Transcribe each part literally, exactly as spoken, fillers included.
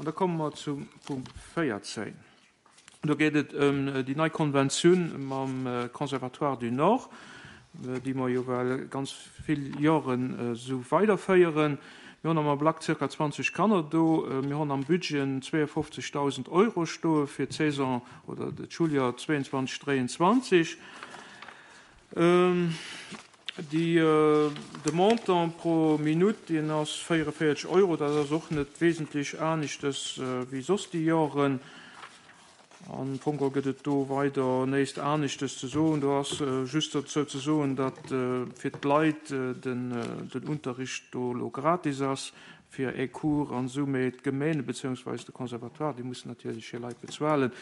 An da komme mer zum Punkt véierzéng. Do geet et ëm déi nei Konventioun mam Conservatoire du Nord, déi mer jo well ganz vill Joren esou weiderféieren. Mir hunn am Ablack zirka zwanzeg Kanner do. Mir hunn am Budget zweeënfofzegdausend Euro stoe fir d'Saison oder d'Schuljoer zweeënzwanzeg, dräianzwanzeg. Déi, de Montant pro Minutt, deen ass véierevéierzeg Euro. Dat ass och net wesentlech aneschtes wéi soss déi Joren. Am Fong geholl gëtt et do weider näischt aneschtes ze soen. Do ass just dozou ze soen, datt fir d'Leit den Unterricht do elo gratis ass fir e Cours an esou, mee d'Gemeene beziehungsweise de Conservatoire, déi mussen natierlech hir Leit bezuelen.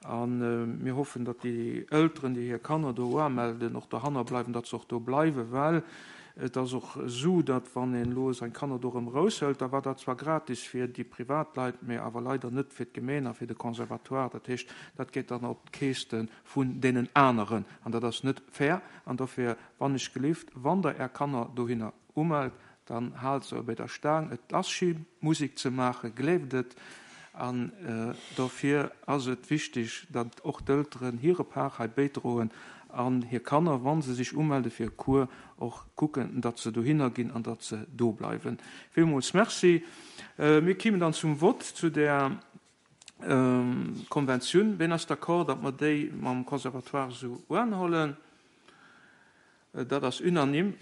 A mir hoffen, datt déi Elteren, déi hir Kanner do umelden, och dohanner bleiwen, datt se och do bleiwen, well et ass och esou, datt wann een elo seng Kanner do erëm eraushëlt, da war dat zwar gratis fir déi Privatleit, mä awer leider net fir d'Gemeen a fir de Conservatoire. Dat heescht, dat geet dann op d'Keeste vun deenen aneren an dat ass net fair. An dofir, wann ech gelift, wann Der Är Kanner dohinner umellt, dann haalt se bei der Staang. Et ass schéi Musek ze maachen, gleeft et. An dofir ass et wichteg, datt och d'Elteren hire Part hei bäidroen an hir Kanner, wa se sech umelde fir e Cours, och kucken, datt se dohinner ginn an datt se do bleiwen. Villmools Merci. Mir kimen dann zum Vott zu där Konventioun. Ween ass d'accord, datt mer déi mam Conservatoire esou uanhollen? Dat ass unanime.